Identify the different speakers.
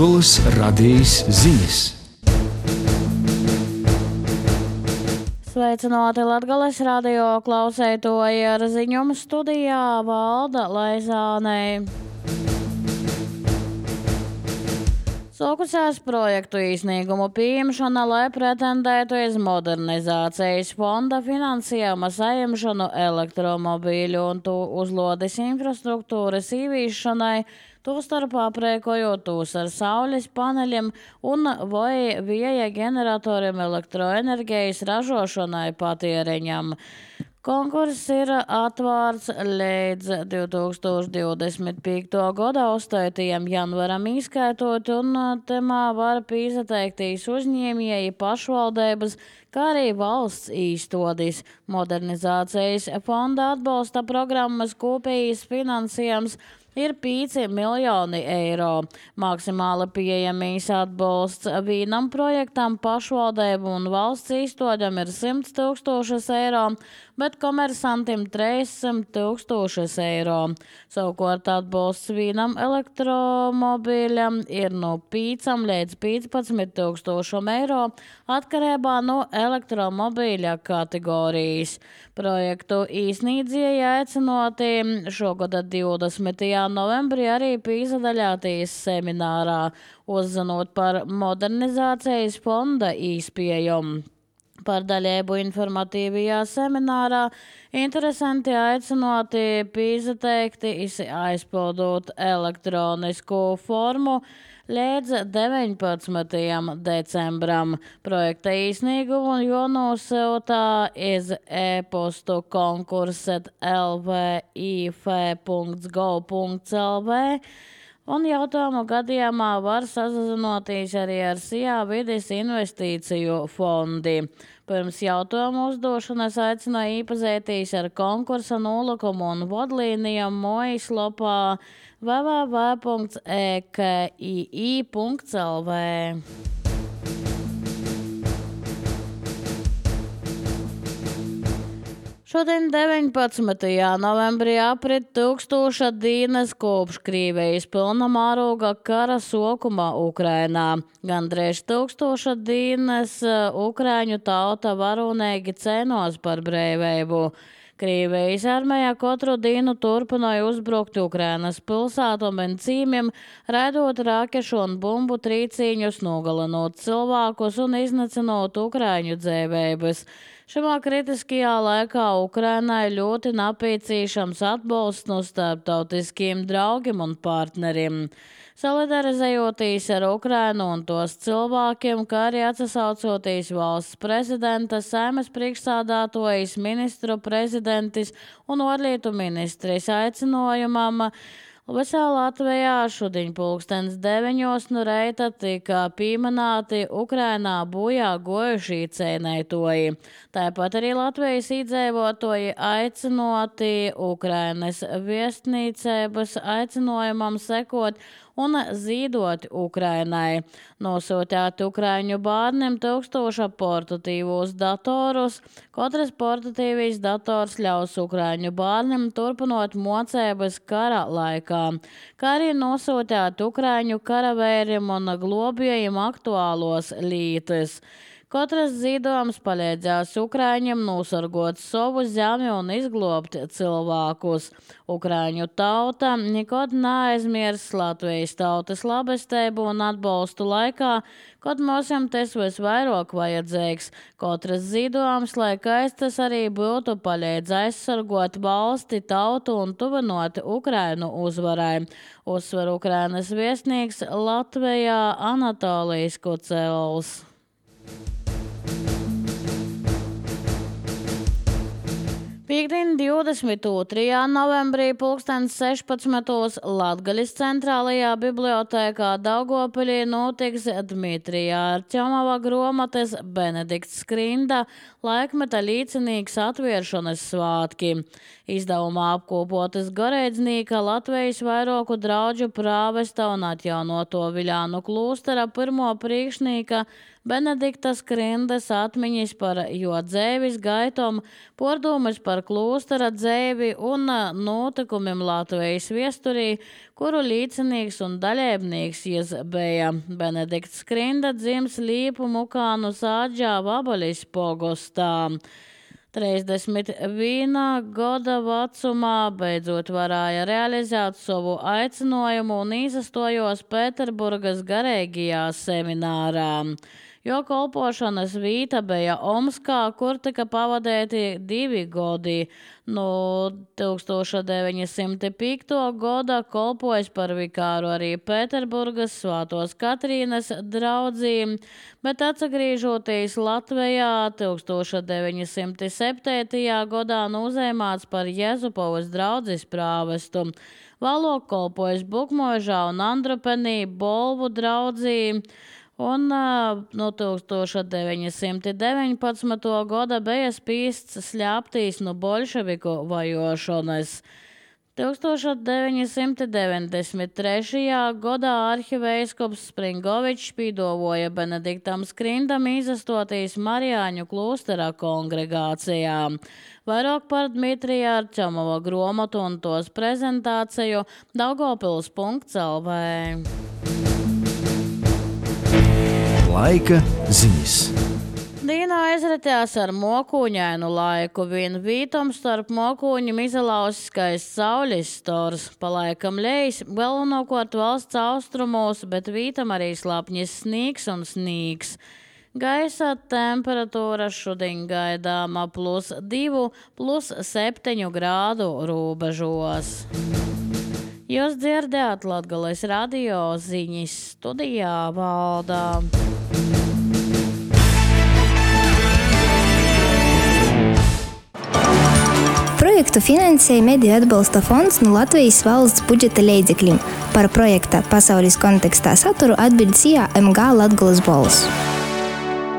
Speaker 1: Latgoles radījis ziņas.
Speaker 2: Sveicināti Latgoles radio klausētoji, ar ziņumu studijā Valda Laizānei. Sokusies projektu īsnīgumu pieņemšana, lai pretendētu uz modernizācijas fonda finansējuma saņemšanu elektromobīļu un to uzlodes infrastruktūras īvīšanai, tostarp aprēkojot tos ar saules paneļiem un vai vēja ģeneratoriem elektroenerģijas ražošanai patēriņam. Konkurss ir atvērts līdz 2025. gada 8. janvaram izskaitot, un temā var piesateikties uzņēmēji, pašvaldības, kā arī valsts īstodis. Modernizācijas fonda atbalsta programmas kopējais finansējums ir 5 miljoni eiro. Maksimāli pieejamīs atbalsts vienam projektam pašvaldību un valsts īstodam ir 100 000 eiro, bet komersantim 300 000 eiro. Savukārt atbalsts vienam elektromobīļam ir no 5 līdz 15 000 eiro atkarībā no elektromobīļa kategorijas. Projektu īsnīdzēji aicinoti šogad 20. novembrī arī piedalīties seminārā, uzzinot par modernizācijas fonda īspējumu. Par dalību informatīvajā seminārā interesanti aicinoti piesateikties, aizpildot elektronisku formu līdz 19. decembram. Projekta īsnīgumu jānosūta iz e-postu konkurs@lvif.gov.lv. Un jautājumu gadījumā var sazinoties arī ar SIA vides investīciju fondi. Pirms jautājumu uzdošanas aicināja iepazīties ar konkursa nolikumu un vadlīnijām mājaslapā www.ekii.lv. Šodien 19. novembrī aprit 1000 dienas kopš Krievijas pilnamēroga kara sākuma Ukrainā. Gandrīz 1000 dienas ukraiņu tauta varonīgi cīnās par brīvību. Krievijas armija katru dienu turpināja uzbrukt Ukrainas pilsētām un cīmiem, raidot rakešu un bumbu trīcīņus, nogalinot cilvēkus un iznacinot ukraiņu dzīvības. Šajā kritiskajā laikā Ukrainai ļoti nepieciešams atbalsts no starptautiskiem draugiem un partneriem. Solidarizējoties ar Ukrainu un tos cilvēkiem, kā arī atsaucoties valsts prezidenta, Saeimas priekšsēdētājas, ministru prezidentis un ārlietu ministres aicinājumam, visā Latvijā šodien 9:00 no rīta tika pieminēti Ukrainā bojā gojušie cīnītāji. Tāpat arī Latvijas iedzīvotāji aicinoti Ukrainas vēstniecības aicinājumam sekot un zīdot Ukrainai. Nosūtāt Ukraiņu bērniem 1000 portatīvos datorus. Katrs portatīvīs dators ļaus Ukraiņu bērniem turpinot mocības kara laikā, kā arī nosūtāt Ukraiņu karavēriem un globējiem aktuālos lītas. Katrs zīdojums palīdzēs Ukraiņiem nosargot savu zemi un izglobt cilvēkus. Ukraiņu tauta nekad neaizmirs Latvijas tautas labestību un atbalstu laikā, kad mums tas visvairāk vajadzīgs. Katrs zīdojums, lai kāds tas arī būtu, palīdz aizsargot valsti, tautu un tuvinot Ukrainu uzvarai. Uzsver Ukrainas viesnīgs Latvijā Anatolijas Kucels. Piektdien 22. novembrī 16:00 Latgaļas centrālajā bibliotēkā Daugavpilī notiks Dmitrija Arķemova grāmatas Benedikts Skrinda laikmeta līdzinīgs atvēršanas svātki. Izdevumā apkopotas garīdznieka Latvijas vairāku draugu prāvesta un atjaunoto Viļānu klūstera pirmo priekšnieka Benedikta Skrindas atmiņas par jo dzēvis gaitom, pordomas par klostera dzēvi un notikumiem Latvijas viesturī, kuru līdzinīgs un daļēbnīgs jis bija. Benedikts Skrinda dzims Līpu Mukānu sāģā Vabalis pogostā. 31 gada vecumā beidzot varēja realizēt savu aicinājumu un izastojos Pēterburgas garīgajā seminārā. Jo kolpošanas vīta bija Omskā, kur tika pavadēti 2 gadi. No 1905. gada kolpojis par vikāru arī Pēterburgas Svātos Katrīnas draudzī, bet atsagrīžoties Latvijā 1907. gadā uzēmāts par Jezupovas draudzes prāvestu. Vēlāk kolpojis Bukmožā un Andrupenī Bolvu draudzī. Un no 1919. gada bija spīsts slēptīs no bolševiku vajošanas. 1993. gadā arhiveiskops Springovičs pīdovoja Benediktam Skrindam izastoties Marijāņu klostera kongregācijā. Vairāk par Dmitrija Arčamova gromatu un tos prezentāciju Daugavpils.lv.
Speaker 1: Laika ziņas.
Speaker 2: Dīna aizratījās ar mokuņainu laiku. Vien vītom starp mokuņiem izalausiskais saules stors. Palaikam lejs, galvenokārt valsts austrumos, bet vītam arī slapņis snīgs un snīgs. Gaisa temperatūra šodien gaidāma +2, +7 grādu robežos. Jūs dzirdējāt Latgales radio ziņas, studijā Valdā.
Speaker 3: Projektu finansēja Mediju atbalsta fonds no Latvijas valsts budžeta līdzekļiem. Par projekta pasaules kontekstā saturu atbild MG Latgales balss.